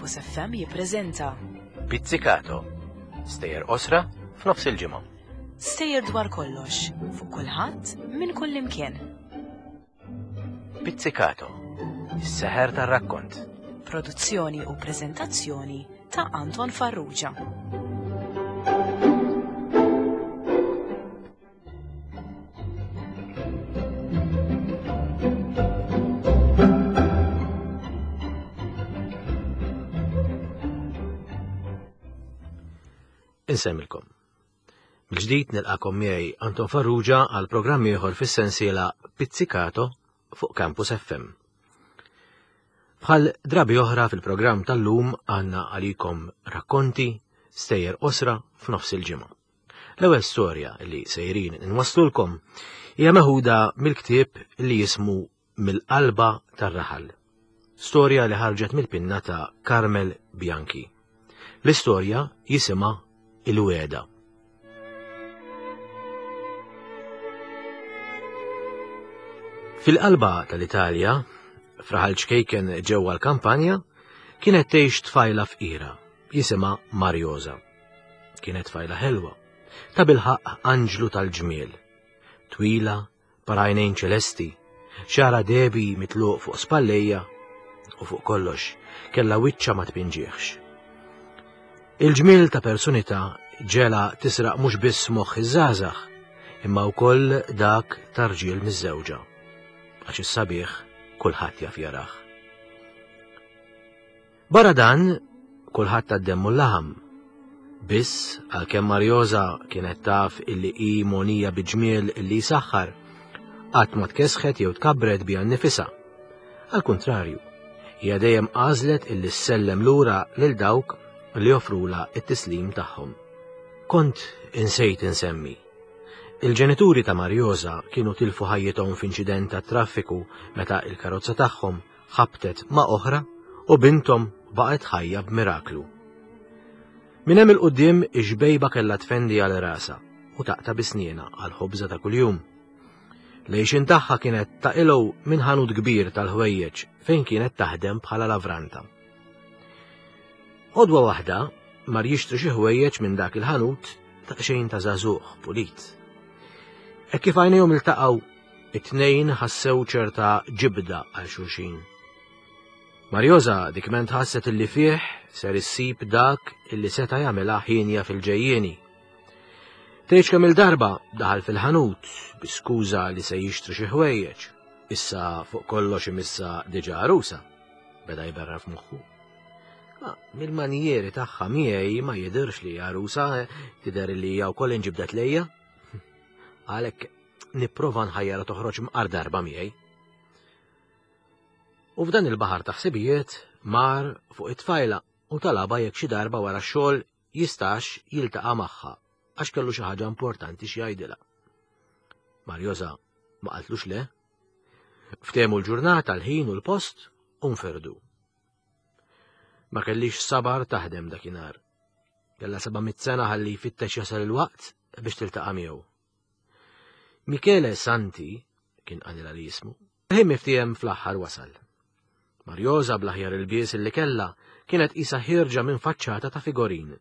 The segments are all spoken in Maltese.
Campus FM jippreżenta Pizzicato. Stejjer qosra f'nofs il-ġimgħa. Stejjer dwar kollox, fuq kulħadd, minn kull imkien. Pizzicato. Is-seħer tar-rakkont. Produzzjoni u preżentazzjoni ta' Anton Farrugia. Insemmilkom. Mill-ġdid nilqakom miegħi Anton Farrugia għal programm ieħor fis-sensiela Pizzicato fuq Campus FM. Bħal drabi oħra fil-programm tal-lum għandna għalikom rakkonti, stejjer qosra f'nofs il-ġimgħa. L-ewwel storja li sejrin inwasslulkom hija meħuda mill-ktieb li jismu Mill-qalba tar-raħal. Storja li ħarġet mill-pinna ta' Carmel Bianchi. L-istorja jisimha Il-Wegħda. Fil-qalba tal-Italja, f'raħal ċkejken ġewwa l-kampanja, kienet tgħix tfajla fqira jisimha Marjosa. Kienet tfajla ħelwa, ta' bilħaqq anġlu tal-ġmiel. Twila, parajnejn ċelesti, xara debi mitluq fuq spallejja u fuq kollox kellha wiċċa ma tpinġieħx. Il-ġmiel ta' personità ġela tisraq mhux biss moħħ iż-żgħażagħ, imma wkoll dak ta' rġiel miżżewġa. Għax is-sabiħ kulħadd jaf jarah. Barra dan, kulħadd tad-demm u l-laħam. Biss, għalkemm Marjosa kienet taf illi hi mogħnija bi ġmiel illi jsaħħar, qatt ma tkessħet jew tkabbret biha nnifisha. Għall-kuntrarju, hija dejjem għażlet illi ssellem lura lil dawk li joffrulha t-tislim tagħhom. Kont insejt insemmi. Il-ġenituri ta' Marjosa kienu tilfu ħajjithom f'inċident tat-traffiku meta il-karozza tagħhom ħabtet ma' oħra u binthom baqgħet ħajja b'miraklu. Minn hemm il-quddiem ix-xbejba kellha tfendi għal rasha u taqta' bi snienha għal ħobża ta' kuljum. L-għixien tagħha kienet taqilgħu minn ħanut kbir tal-ħwejjeġ fejn kienet taħdem bħala lavranta. Għodwa waħda mar jixtri xi ħwejjeġ minn dak il-ħanut daqsxejn ta' żagħżugħ pulit. Hekk kif għajnejhom iltaqgħu It-tnejn ħassew ċerta ġibda għal xulxin. Marjosa dikment ħasset illi fih ser issib dak illi seta' jagħmilha ħienja fil-ġejjieni. Tgħidx kemm il-darba daħal fil-ħanut bi skuża li se jixtri xi ħwejjeġ. Issa fuq kollox imissa diġà għarusa, beda jberra f'moħħu. Ah, mill-manjieri tagħha miegħi ma jidhirx li għarusa tidher li hija wkoll inġibdet lejja. Għalhekk nipprova nħajjarha toħroġ mqar darba miegħi. U f'dan il-baħar ta' ħsibijiet mar fuq it-tfajla u talaba jekk xi darba wara x-xogħol jistax jiltaqa' magħha għax kellu xi ħaġa importanti xi jgħidilha. Marjosa ma qaltlux le. Ftehmu l-ġurnata, l-ħin u l-post u nferdu. Ma kellix sabar taħdem dakinhar. Kella 700 sena ħalli jfittex jasal il-waqt biex tiltaqa' miegħu. Michele Santi, kien qalilha li jismu, ħin miftiehem fl-aħħar wasal. Marjosa bl-aħjar ilbies illi kellha kienet qisha ħierġa minn faċċata ta' figorin.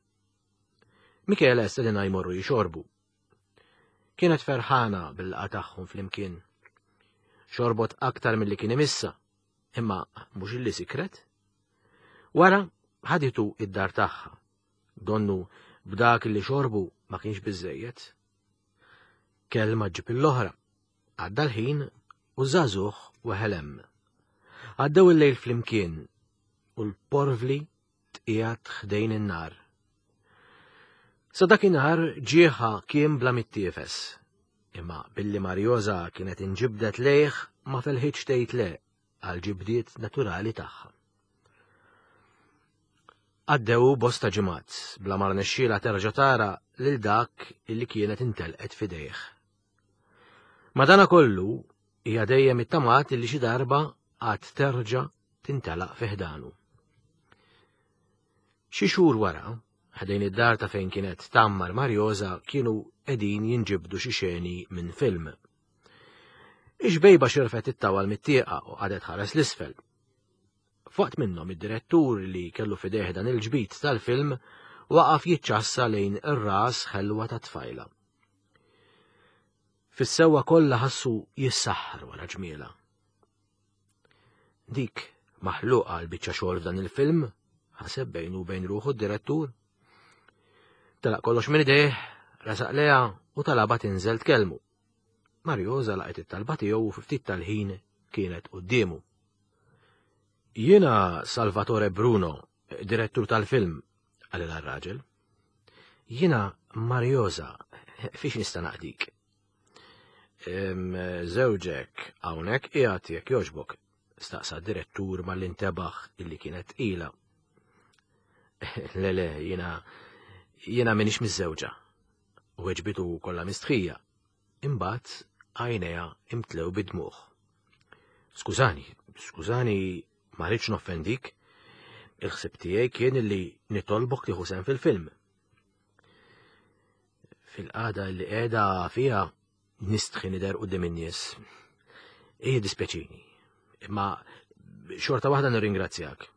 Michele stedinha jmorru jixorbu. Kienet ferħana bil-laqgħa tagħhom flimkien. Xorbot aktar milli kien imissa, imma mhux illi sikret. Wara ħaditu id-dar tagħha. Donnu b'dak li xorbu ma kienx biżejjed. Kelma ġib l-oħra. Għadda l-ħin u żagħżugħ weħel hemm. Għaddew il-lejl flimkien u l-porvli tqiegħed ħdejn in-nar. Sa dakinhar ġieħa kien bla mittiefes. Imma billi Marjosa kienet inġibdet lejh ma felħitx tgħid le għal ġibdiet naturali tagħha. Għaddew bosta ġimgħat bla ma rnexxielha terġa' tara lil dak illi kienet intelqet f'idejh. Madanakollu, hija dejjem ittamat illi xi darba għad terġa' tintelaq fi ħdanu. Xi xhur wara, ħdejn id-dar ta' fejn kienet tgħammar Marjosa kienu qegħdin jinġibdu xi xeni minn film. Ix-xbejba xirfet it-tawal mit-tieqa u qagħdet ħares l-isfel. F'waqt minnhom id-direttur li kellu f'idejh dan il-ġbid tal-film waqaf jiċċassa lejn ir-ras ħelwa tat-tfajla. Fis-sewwa kollha ħassu jissaħħar wara ġmielha. Dik maħluqa għal biċċa xogħol f'dan il-film, ħaseb bejnu u bejn ruħu d-direttur. Telaq kollox minn idejh, resaq leha u talaba tinżel tkellmu. Marjosa laqgħet it-talba tiegħu u fi ftit tal-ħin kienet quddiemu. Jiena Salvatore Bruno, direttur tal-film, qalilha r-raġel. Jiena Marjosa, fiex nista' naqdik? Żewġek hawnhekk qiegħed jekk jogħġbok, staqsa d-direttur malli ntebaħ illi kienet tqila. Le le, jiena jiena m'iniex miżżewġa. Weġbitu kollha mistħija. Imbagħad għajnejha imtlew bid-dmugħ. Skużani, skużani, ma rridx noffendik. Il-ħsieb tiegħi kien li nitolbok tieħu sehem fil-film. Fil-qagħda li qiegħda fiha nistħi nidher quddiem in-nies. Ej dispjaċini, imma xorta waħda nirringrazzjak.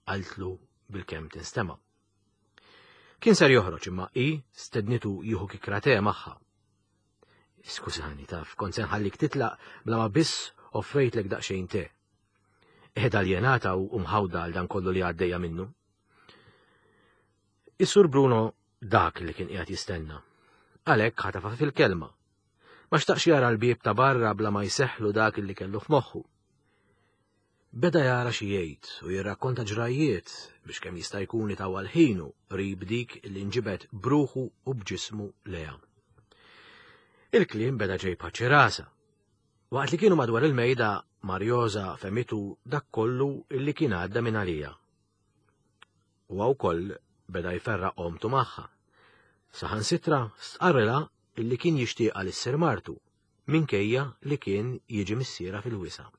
Qaltlu bil-kemm tinstema'. Kien ser joħroġ imma hi stednitu jieħu kikra te magħha. Skużani taf, kont se nħallik titlaq bla ma biss offrejtlek daqsxejn te. Qiegħda aljenata u mħawda għal dan kollu li għaddejja minnu. Is-Sur Bruno dak li kien qiegħed jistenna. Għalhekk ħatafa fil-kelma. Ma xtaqx jara l-bieb ta' barra bla ma jseħħlu dak li kellu f'moħħu. Beda jara xi jgħid u jirrakkonta ġrajjiet biex kemm jista' jkun itawwal ħinu qrib dik li nġibed bruħu u b'ġismu leha. Il-kliem beda ġej bħaċ-ċirasa. Waqt li kienu madwar il-mejda, Marjosa fehmitu dak kollu li kien għadda minn għalija. Huwa wkoll beda jferraq omtu magħha. Saħansitra stqarrilha illi kien jixtieqha li ssir martu, minkejja li kien jiġi missierha fil-wisa'.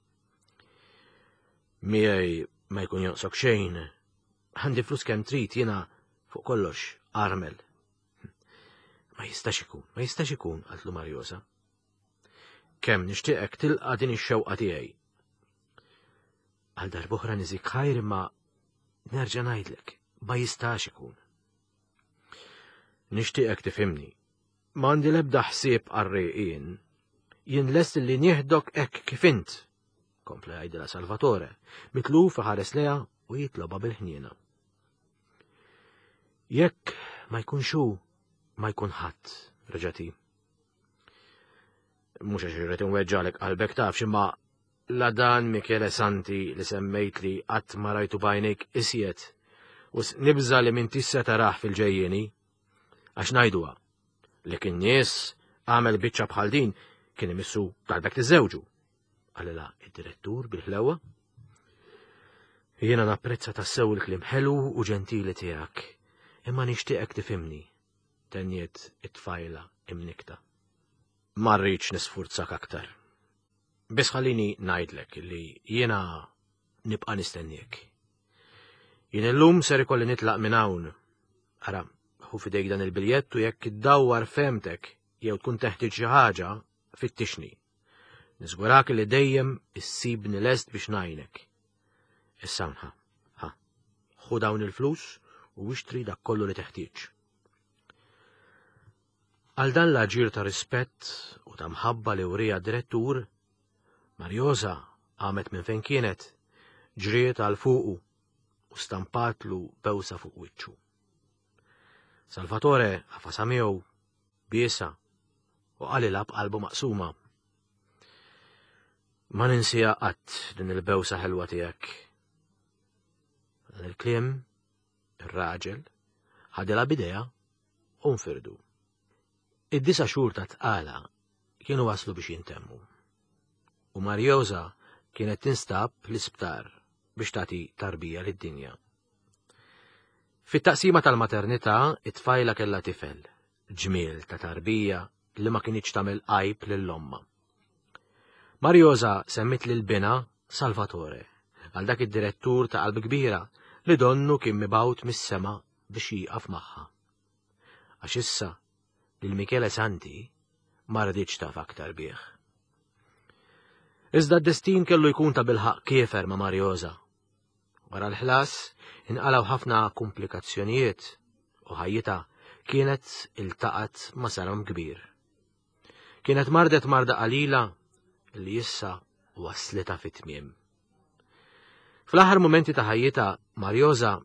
Miegħi ma jkun jonqsok xejn, għandi flus kemm trid jiena fuq kollox armel. Ma jistax ikun, ma jistax ikun, qaltlu Marjosa. Kemm nixtieqek tilqa' din ix-xewqa tiegħi. Għal darb'oħra niżik ħajr imma nerġa' ngħidlek, ma jistax ikun. Nixtieqek tifhimni. M'għandi l-ebda ħsieb qarrieq Jien lest li nieħdok hekk kif int, kompla jgħidilha Salvatore, mitluf iħares leha u jitloba bil-ħniena. Jekk ma jkunx hu, ma jkun ħadd, reġgħet hi. Mhux għax irrid inweġġalek qalbek tafx imma la dan Michele Santi li semmejtli qatt ma rajtu b'għajnejk isjed u nibża li m'intix se tarah fil-ġejjieni. Għax ngħiduha li kien nies għamel biċċa bħal din kien imissu talbek tiżewġu. Qalilha id-direttur bil-ħlewa. Jiena napprezza tassew il-kliem ħelu u ġentili tiegħek, imma nixtieqek tifhimni tenniet it-tfajla imnikta. Ma rridx nisfurzak aktar. Biss ħallini ngħidlek li jiena nibqa' nistenniek. Jien illum ser ikolli nitlaq minn hawn. Ara, ħu fidejk dan il-biljett u jekk iddawwar fehmtek jew tkun teħtieġ xi ħaġa, fittixni. Niżgurak li dejjem issibni lest biex ngħinek. Issa ħa, ħa, ħu dawn il-flus u ixtri dak kollu li teħtieġ. Għal dan l-aġir ta' rispett u ta' mħabba li wriha d-direttur, Marjosa qamet minn fejn kienet, ġriet għal fuqu u stampatlu bewsa fuq wiċċu. Salvatore għafasha miegħu, biesha u qalilha b'qalbu maqsuma. Ma ninsija qatt din il-bewsa ħelwa tiegħek. Dan il-kliem, ir-raġel, ħadilha b'idejha u nfirdu. Id-disa' xhur ta' tqala kienu waslu biex jintemmu. U Marjosa kienet tinstab l-isptar biex tagħti tarbija lid-dinja. Fit-taqsima tal-maternità, it-tfajla kellha tifel, ġmiel ta' tarbija li ma kinitx tagħmel għajb lil ommha. Marjosa semmiet lil binha Salvatore, għal dak id-direttur ta' qalb kbira li donnu kien mibgħut mis-sema biex jieqaf magħha. Għax issa lil Michele Santi ma riditx taf aktar bih. Iżda d-destin kellu jkun ta' bilħaq kiefer ma' Marjosa. Wara l-ħlas inqalgħu ħafna komplikazzjonijiet u ħajjitha kienet iltaqgħet ma' saram kbir. Kienet mardet marda qalila li issa waslitha fit-tmiem. Fl-aħħar mumenti ta' ħajjitha, Marjosa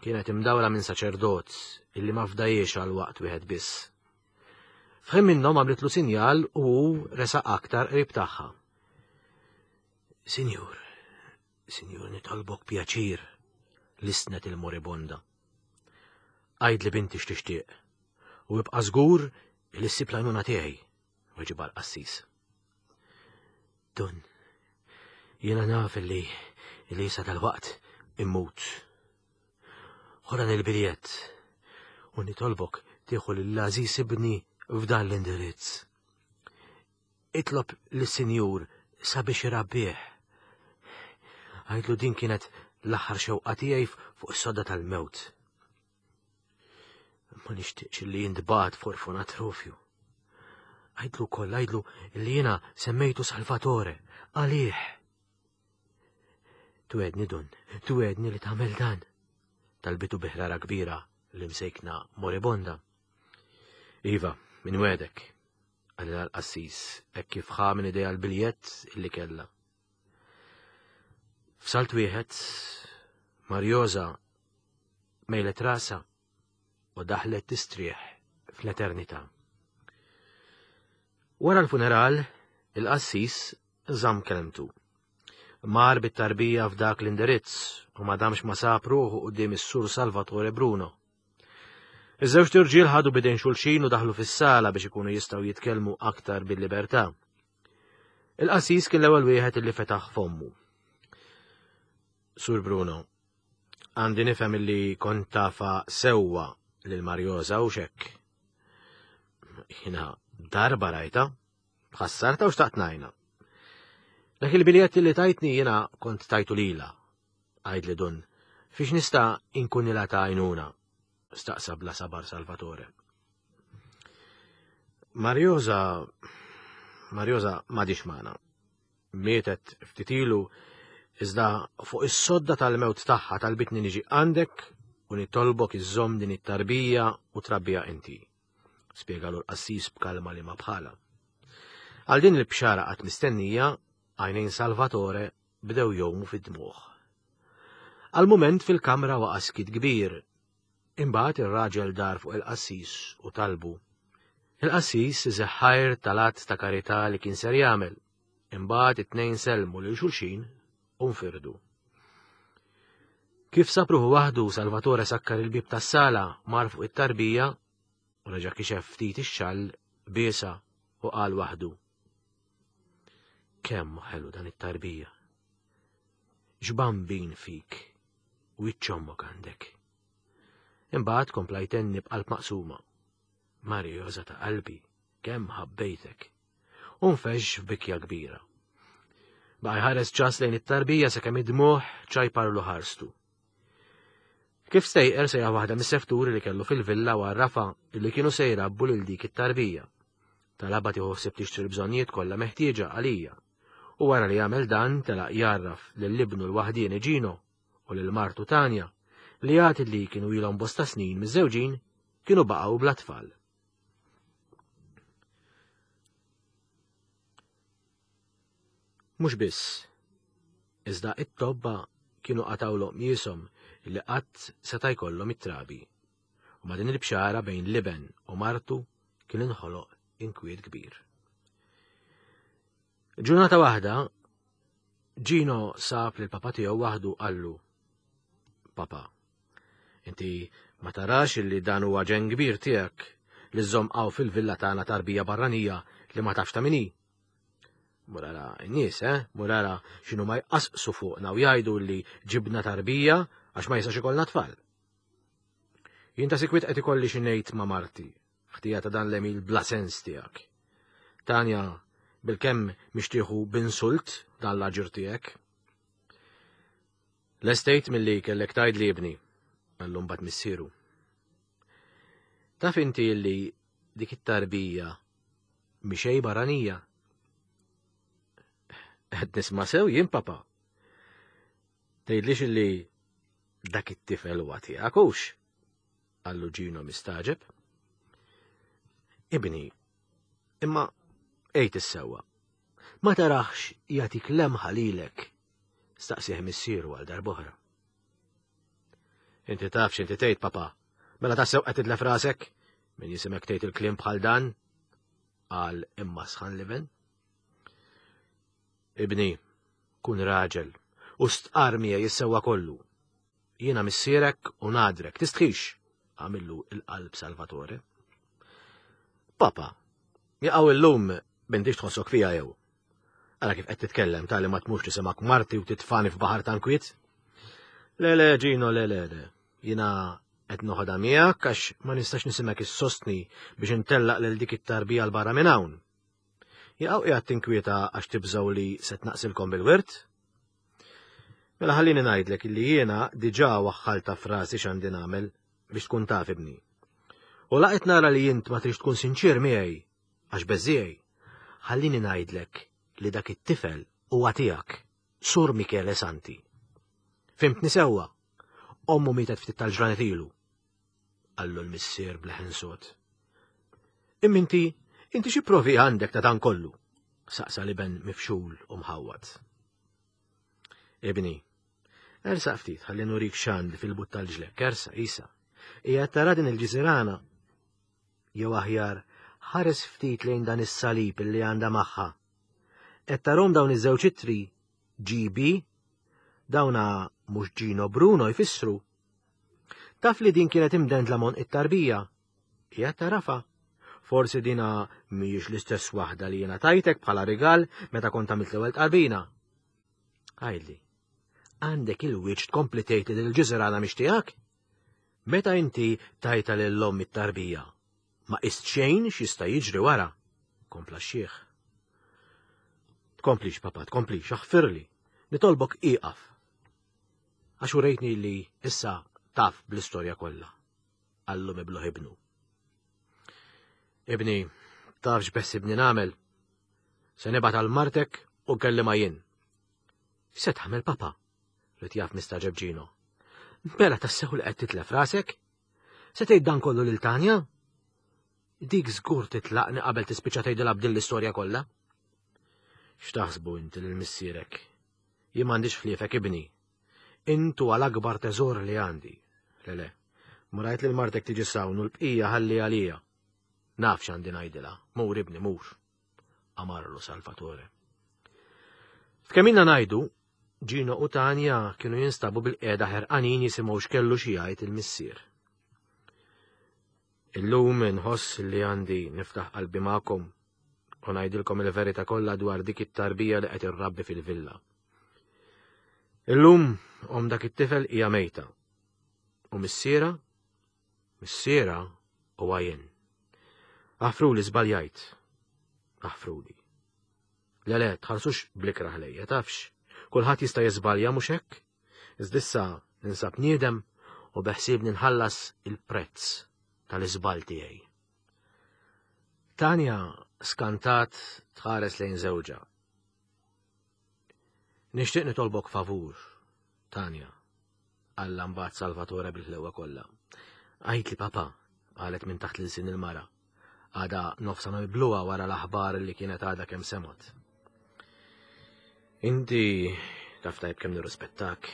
kienet imdawra minn saċerdot illi ma fdajiex għal waqt wieħed biss. F'ħin minnhom għamlitlu sinjal u hu resaq aktar qrib tagħha. Sinjur, sinjur nitolbok pjaċir, lissnet il-moribonda. Għidli binti x'tixtieq u ibqa' żgur li ssib l-għajnuna tiegħi, weġibha l-qassis. Dun, jiena naf li li sa tal-waqt immut. Ħu dan il-biljett u nitolbok tieħu lill-għażiż ibni f'dan l-indirizz. Itlob lis-Sinjur sabiex irabbih. Għidlu din kienet l-aħħar xewqa tiegħi fuq is-sodda tal-mewt. Ma nixtieqx li jintbagħat f'orfanatrofju. Għidlu wkoll għidlu li jiena semmejtu Salvatore għalih. Twedni dun, twedni li tagħmel dan. Talbitu bi ħrara kbira l-imsejkna moribonda. Iva, minwegħdek, qalilha l-qassis hekk kif ħa minn idejha l-biljett illi kellha. F'salt wieħed, Marjosa mejlet rasha u daħlet tistrieħ fl-eternità. Wara l-funeral, il-qassis żamm kelmtu. Mar bit-tarbija f'dak l-indirizz u ma damx ma sab ruħu quddiem is-Sur Salvatore Bruno. Iż-żewġt irġiel ħadu bidejn xulxin u daħlu fis-sala biex ikunu jistgħu jitkellmu aktar bil-libertà. Il-qassis kien l-ewwel wieħed illi fetaħ fommu. Sur Bruno, għandi nifhem illi kont tafa sewwa lil Marjosa u xekk. Jiena darba rajta, ħassarta u xtaqt ngħinha. Dak il-biljetti li tajtni jiena kont tajtu lila, Għidli Dun, fiex nista' inkunilha ta' għajnuna? staqsa bla sabar Salvatore. Marjosa Marjosa m'għadhiex magħna. Mietet ftit ilu iżda fuq is-sodda tal-mewt tagħha talbitni niġi għandek u nitolbok iżżomm din it-tarbija u trabbija inti. Spjegalu l-qassis b'kalma li ma bħala. Għal din il-bxara qatt mistennija, għajnejn Salvatore bdew jgħumu fid-dmugħ. Għal mument fil-kamra waqa' skiet kbir. Imbagħad ir-raġel dar fuq il-qassis u talbu. Il-qassis iseħħajr tal-att ta' karità li kien ser jagħmel. Imbagħad it-tnejn sellmu lil xulxin u nfirdu. Kif sab ruħu waħdu, Salvatore sakkar il-bieb tas-sala, mar fuq it-tarbija u reġa' kixef ftit ix-xall biesa u qal waħdu. Kemm hu ħelu dan it-tarbija. X'bambin fik u ommok għandek. Imbagħad kompla jtenni b'qalb maqsuma. Marjosa ta' qalbi, kemm ħabbejtek. U nfexx f'bikja kbira. Baqa' jħares ċas lejn it-tarbija sakemm id-dmugħ ċajparlu ħarstu. Kif stejqer sejjaħ waħda mis-sefturi li kellu fil-villa u għarrafha li kienu se jrabbu lil dik it-tarbija. Talabha tieħu ħsieb tixtri l-bżonnijiet kollha meħtieġa għalija. U wara li għamel dan telaq jgħarraf lil ibnu l-waħdieni Gino u lil martu Tanja li għad li kienu ilhom bosta snin miżżewġin kienu baqgħu bla tfal. Mhux biss, iżda it-tobba kienu qatgħulhom qmieshom li qatt seta' jkollhom it-trabi. U ma' din il-bxara bejn l-iben u martu kien inħoloq inkwiet kbir. Ġurnata waħda, Gino sab lil papa tiegħu waħdu qallu, Papa, inti ma tarax illi dan huwa ġenn kbir tiegħek li żżomm hawn fil-villa tagħna tarbija barranija li ma tafx ta' min hi? Mur ara n-nies, eh? Mur ara x'inhu ma jqasqsu fuqna u jgħidu li ġibna tarbija għax ma jistax ikollna tfal. Jien ta' sikwit qed ikolli xi ngħid ma' marti, ħtija ta' dan l-emil bla sens tiegħek. Tanja, bilkemm mixtieħu b'insult dan l-aġir tiegħek. Lestejt milli kellek tgħidli ibni, qallu mbagħad missieru. Taf inti li dik it-tarbija mhi xejn barranija. Qed nisma' sew jien papa. Tgħidlix illi Dak it-tifel huwa tiegħek hux? Qallu Gino mistaġeb. Ibni, imma għid is-sewwa. Ma taraħx jagħtik lemħa lilek, staqsih missieru għal darb'oħra. Inti taf x'inti tgħid, papa. Mela tassew qed titlef rasek? Min jisimek tgħid il-kliem bħal dan? Qal imma sħan liben. Ibni, kun raġel u stqar miegħi is-sewwa kollu. Jiena missierek u nadrek, tistħix, għamillu il-qalb Salvatore. Papa, jaqaw illum bintix tħossok fija jew. Ara kif qed titkellem tali ma tmurx tisimak marti u titfani f'baħar ta' nkwiet. Le le Gino, le le le. Jiena qed noħodha miegħek għax ma nistax nisimek issostni biex intellaq lil dik it-tarbija l barra minn hawn. Jaqaw qiegħed tinkwieta għax tibżgħu li se tnaqsilkom bil-wirt? Mela ħallini ngħidlek illi jiena diġà waħħalta frasi x'għandi nagħmel biex tkun taf ibni. U laqet nara li int ma trix tkun sinċir miegħi għax beżiegħi. Ħallini ngħidlek li dak it-tifel huwa tiegħek, Sur Michele Santi. Fimtni sewwa? Ommu mietet ftit tal-ġranet ilu. Qallu l-missier b'leħen sod. Imma inti, inti xi provi għandek ta' dan kollu? Saqsa l-iben mifxul u mħawwad. Ibni, ersaq ftit ħalli nurik x'għandi fil-but tal-ġlekk, ersa, isa. Hija tara din il-ġiżirana. Jew aħjar, ħares ftit lejn dan is-salib li għandha magħha. Qed tarhom dawn iż-żewġ ittri GB dawna mhux Gino Bruno jfissru. Taf li din kienet imdendla mon it-tarbija. Hija tarafa. Forsi dina mhijiex l-istess waħda li jiena tajtek bħala rigal meta kont għamilt l-ewwel tqarbina. Għidli, għandek il-wiċċ tkompli tgħid li l-ġiżirana mhix tiegħek? Meta inti tajta lil omm it-tarbija, ma qist xejn x'jista' jiġri wara, kompla x-xiħ. Tkomplix, papa, tkomplix, aħfirli. Nitolbok ieqaf. Għax urejtni li issa taf bl-istorja kollha. Qallu mibluħ ibnu. Ibni, taf x'beħsibni nagħmel? Se nibgħat għal martek u nkellima jien. Se tagħmel papa? Rid jaf mistaġeb Ġino. Mela tassew li qed titlef rasek? Se tgħid dan kollu lil Tanja? Dik żgur titlaqni qabel tispiċċa tgħidilha b'din l-istorja kollha. X'taħsbu inti lil missierek? Jien m'għandix ħliefek ibni. Int huwa l-akbar teżor li għandi. Le le, murajt lil martek tiġi sawn u l-bqija ħalli għalija. Naf x'għandi ngħidilha, mur ibni mur. Amarlu Salvatore. F'kemm ilna ngħidu, Gino u Tanja kienu jinstabu bil-qiegħda ħerqanin jisimgħu x'kellu xi jgħid il-missier. Illum inħoss li għandi niftaħ qalbi magħkom u ngħidilkom il-verità kollha dwar dik it-tarbija li qed irrabbi fil-villa. Illum om dak it-tifel hija mejta. U missiera? Missiera huwa jien. Aħfruli żbaljajt. Aħfruli. Le le, tħarsux blikraħ lejja, tafx. Kulħadd jista' jiżbalja mhux hekk? Iżda ninsab niedem u beħsiebni nħallas il-prezz tal-iżball tiegħi. Tanja skantat tħares lejn żewġha. Nixtieq nitolbok favur, Tanja, qalla mbagħad Salvatore bil-ħlewa kollha. Għidli papa, qalet minn taħt l-ilsien il-mara. Għada nofsa mibluha wara l-aħbar li kienet għadha kemm semgħet. Inti taf tajb kemm nirrispettak.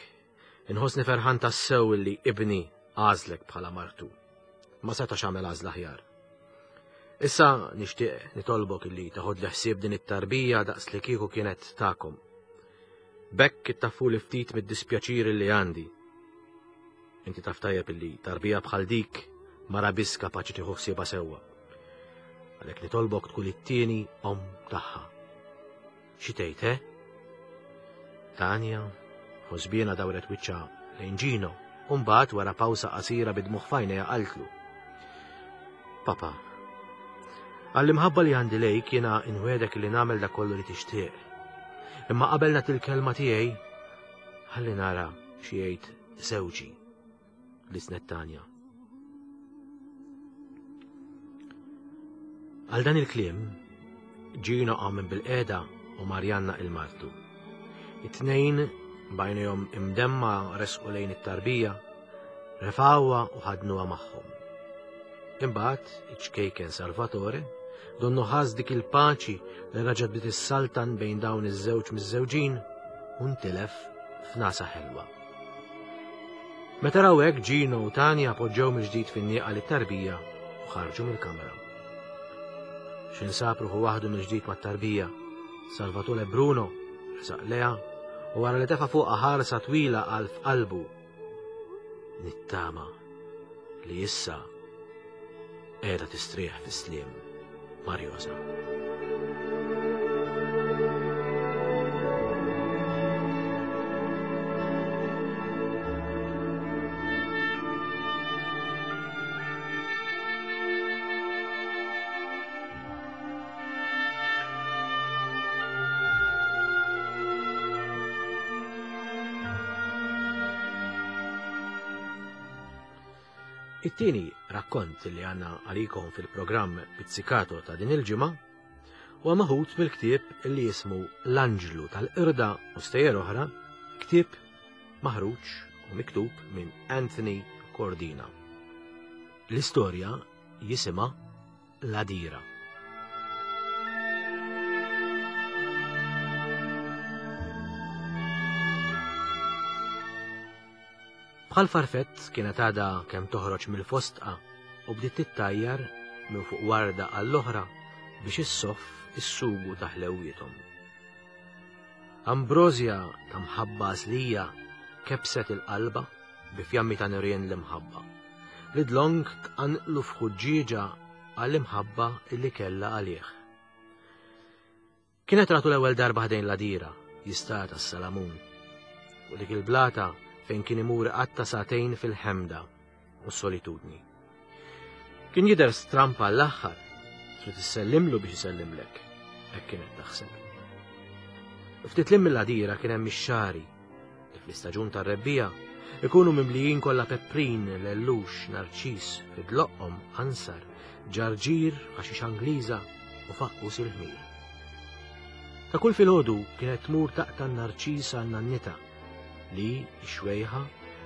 Inħossni ferħan tassew li ibni għażlek bħala martu. Ma setax għamel għażla aħjar. Issa nixtieq nitolbok illi taħod li ħsieb din it-tarbija daqs li kieku kienet tagħkom. Bekk ittaffu li ftit mid-dispjaċir li għandi. Inti taf tajjeb illi tarbija bħal dik mara biss kapaċi tieħu ħsiebha sewwa. Għalhekk nitolbok tkun it-tieni om tagħha. Xi tgħid, eh? Tanja, ħosbiena dawret wiċċha lejn Ġino, u mbagħad wara pawsa qasira bid-dmugħ f'għajnejha qaltlu. Papa, għall-imħabba li għandi lejk jiena inwedek li nagħmel dak kollu li tixtieq. Imma qabel nagħti l-kelma tiegħi, ħalli nara xi jgħid żewġi li snet Tanja. Għal dan il-kliem, Gino qam minn bil-qeda u Marjanna il-martu. It-tnejn B'għajnejhom imdemma resqu lejn it-tarbija, refgħuha u ħadnuha magħhom. Imbagħad iċ-ċkejken Salvatore donnu ħass dik il-paċi li raġa' bdiet issaltan bejn dawn iż-żewġ miżżewġin u ntilef f'nasa ħelwa. Meta raw hekk Gino u Tanja poġġew mill-ġdid fin-nieqa lit-tarbija u ħarġu mill-kamra. X'insab ruħu waħdu mill-ġdid mat-tarbija, Salvatore Bruno resaq leha u wara li tefa' fuqha ħarsa twila qal f'qalbu Nittama li issa qiegħda tistrieħ fis-sliem Marjosa. It-tieni rakkont li għandna għalikom fil-programm Pizzicato ta' din il-ġimgħa huwa maħud mill-ktieb li jismu L-Anġlu tal-Qirda u Stejjer Oħra, ktieb maħruġ u miktub minn Anthony Cordina. L-istorja jisimha L-Għadira. Bħal farfett kienet għadha kemm toħroġ mill-fostqa u bdiet tittajjar minn fuq warda għall-oħra biex issoff is-sugu ta' ħlewwiethom. Ambrosja ta' mħabba għażlija kebset il-qalba bi fjammi ta' nirien l-imħabba, li dlonk tqanqlu f'ħuġġieġa għall-imħabba li kellha għalih. Kienet ratu l-ewwel darba ħdejn l-għadira, jistad għas-salamun. U dik il-blata fejn kien imur iqatta' sagħtejn fil-ħemda u s-solitudni. Kien jidher stramp għall-aħħar, trid issellimlu biex isellimlek, hekk kienet taħseb. Ftit lim mill-għadira kien hemm ix-xagħri li fl-istaġun tar-rebbiegħa ikunu mimlijin kollha pepprin, lellux, narċis, fi dloqqhom, ansar, ġarġir, ħaxix Angliża u faqqus il-ħmir. Ta' kull filgħodu kienet tmur taqta' n-narċis għal nannitha li, ix-xwejħa,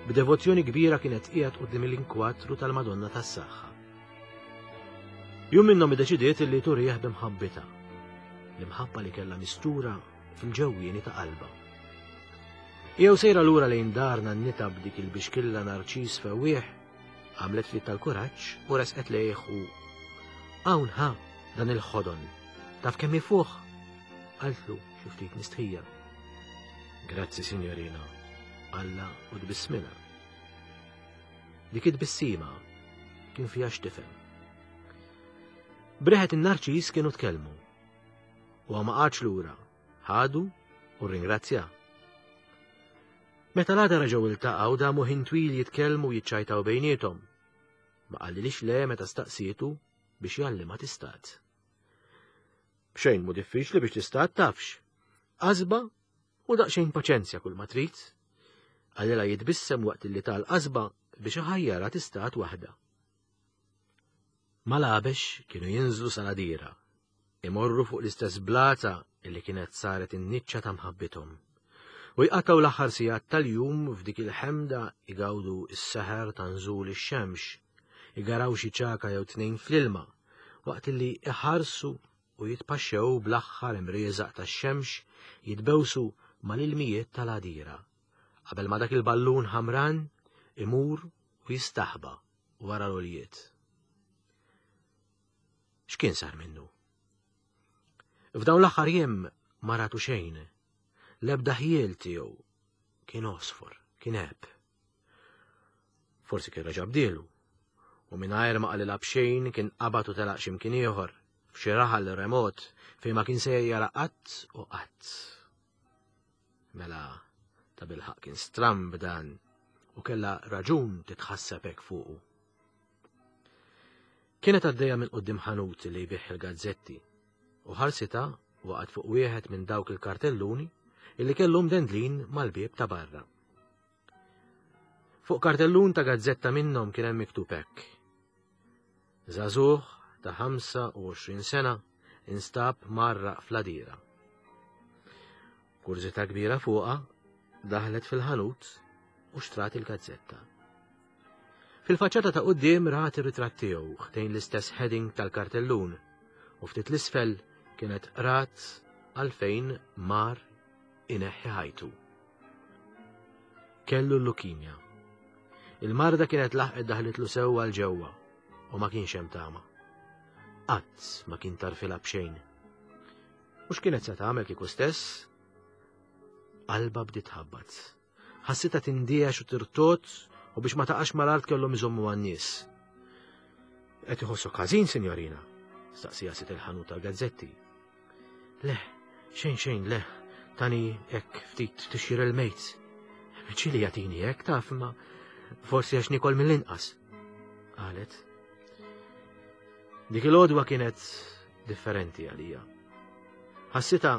b'devozzjoni kbira kienet qiegħed quddiem il-inkwatru tal-Madonna tas-Saħħa. Jum minnhom iddeċidiet li turih b'imħabbitha, l-imħabba li kellha mistura fil-ġewwieni ta' qalbha. Jew sejra lura lejn dar nannitha b'dik il-bixkilla narċis fewwieħ, għamlet ftit tal-kuraġġ u resqet lejh u hawn ħa dan il-ħodon. Taf kemm ifuħ? Qaltlu xi ftit mistħija. Grazzi, signorina, Alla u tbissmilha. Dik it-tbissima kien fiha x'tifhem. Breħet in-narċis kienu tkellmu. Huwa ma qagħadx lura, ħadu u rringrazzja. Meta l-għada reġgħu iltaqgħu damu ħin twil jitkellmu u jiċċajtaw bejniethom. Ma qalilix le meta staqsietu biex jgħallimha tistad. Xejn mu diffiċli biex tistad tafx. Qasba u daqsxejn paċenzja kull ma trid. Qalilha jitbissem waqt li tal-qasba biex iħajjarha tistad waħda. Mal-għabex kienu jinżlu sal-għadira, imorru fuq l-istess blata li kienet saret in-niċċa ta' mħabbithom, u jqattgħu l-aħħar sigħat tal-jum f'dik il-ħemda igawdu s-seħer ta' nżul ix-xemx, igaraw xi ċagħka jew tnejn fl-ilma, waqt li iħarsu u jitpaxxew bl-aħħar imrieżaq tax-xemx jitbewsu mal-ilmijiet tal-għadira, qabel ma dak il-ballun ħamran imur u jistaħba wara l-għoljiet. X'kien sar minnu? F'dawn l-aħħar jiem ma ratu xejn. L-ebda ħjiel tiegħu kien għosfor, kien għeb. Forsi kien reġa' bdielu, u mingħajr ma qalilha b'xejn kien qabad u telaq x'imkien ieħor, f'xi raħal remot fejn ma kien se jara qatt u qatt. Mela, ta' bilħaq kien stramb dan u kellha raġun titħasseb hekk fuqu. Kienet għaddejja minn quddiem ħanut li jbigħ il-gazzetti u ħarsitha waqgħet fuq wieħed minn dawk il-kartelluni illi kellu mdendlin mal-bieb ta' barra. Fuq kartellun ta' gazzetta minnhom kien hemm miktub hekk. Żagħżugħ ta' 25 sena instab mgħarraq fl-għadira. Kurżità kbira fuqha, Daħlet fil-ħanut u xtrat il-gazzetta. Fil-faċċata ta' quddiem rat ir-ritratt tiegħu ħdejn l-istess heading tal-kartellun u ftit l-isfel kienet rat għalfejn mar ineħħi ħajtu. Kellu l-lukimja. Il-marda kienet laħqet daħlitlu sewwa 'l ġewwa u ma kienx hemm tama. Qatt ma kien tarfilha b'xejn. U x'kienet se tagħmel kieku stess? Qalba bdiet tħabbat. Ħassitha tindiex u tirtot u biex ma taqax mal-art kellhom iżommu għan-nies. Qed iħossok ħażin, sinjorina? Staqsija sit il-ħanut tal-gazzetti. Le, xejn xejn le, tani hekk ftit tixjir il-mejt. Ċili jagħtini hekk taf ma forsi għax nikol mill-inqas. Qalet. Dik il-għodwa kienet differenti għalija. Ħassita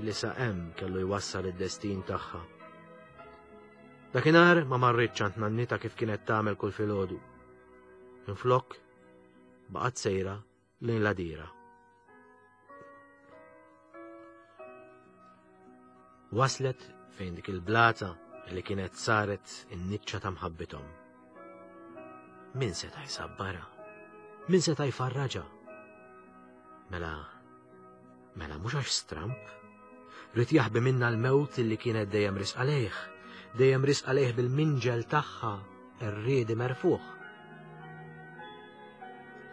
li sa hemm kellu jwassal id-destin tagħha. Dakinhar ma marritx għand nannita kif kienet tagħmel kull filgħodu. Minflok baqgħet sejra lejn l-għadira. Waslet fejn dik il-blata li kienet saret in-niċċa ta' mħabbithom. Min seta' jsabbarha? Min seta' jfarraġha? Mela, mela mhux għax stramp. Rid jaħbi minna l-mewt li kienet dejjem risqa lejh, dejjem risqa lejh bil-minġel tagħha rriedi merfuħ.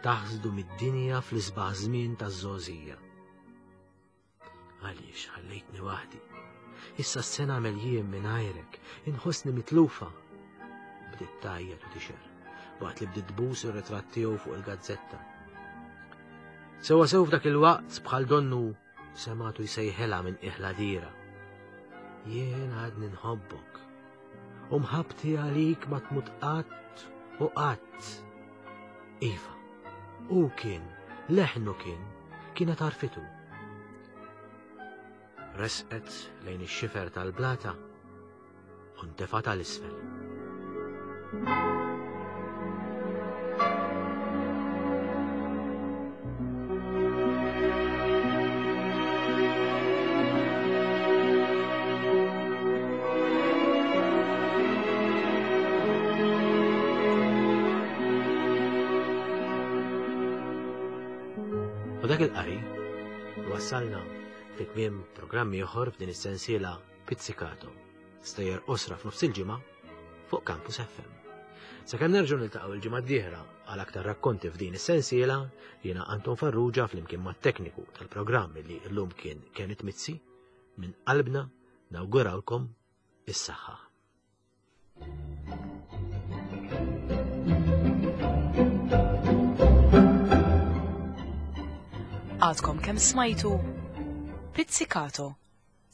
Taħsdu mid-dinja fl-isbaħ żmien taż-żgħożija. Għaliex ħallejtni waħdi? Issa se nagħmel jien mingħajrek, inħossni mitlufa. Bdiet tgħajjat u tixer, waqt li bdiet tbus ir-ritratt tiegħu fuq il-gazzetta. Sewa sew f'dak il-waqt bħal donnu sematu jsejħilha minn iħla dira. Jien għadni nħobbok. U mħabbti għalik ma tmut qatt u qatt. Iva, u kien, leħnu kien, kienet għarfitu. Resqet lejn ix-xifer tal-blata u ntefgħet għal isfel. U dak il-qari wassalna fi tmiem programm ieħor f'din is-sensiela Pizzicato, stejjer qosra f'nofs il-ġimgħa fuq Campus FM. Sakemm nerġgħu niltaqgħu il-ġimgħa d-dieħla għal aktar rakkonti f'din is-sensiela, jiena Anton Farrugia flimkien mat-tekniku tal-programm li llum kien Kenneth Mizzi, minn qalbna nawgurawlkom is-saħħa. Għadkom kemm smajtu Pizzicato,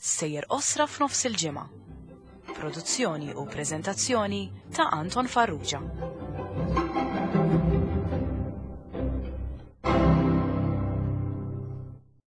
sejjer qosra f'nofs il-ġimgħa. Produzzjoni u preżentazzjoni ta' Anton Farrugia.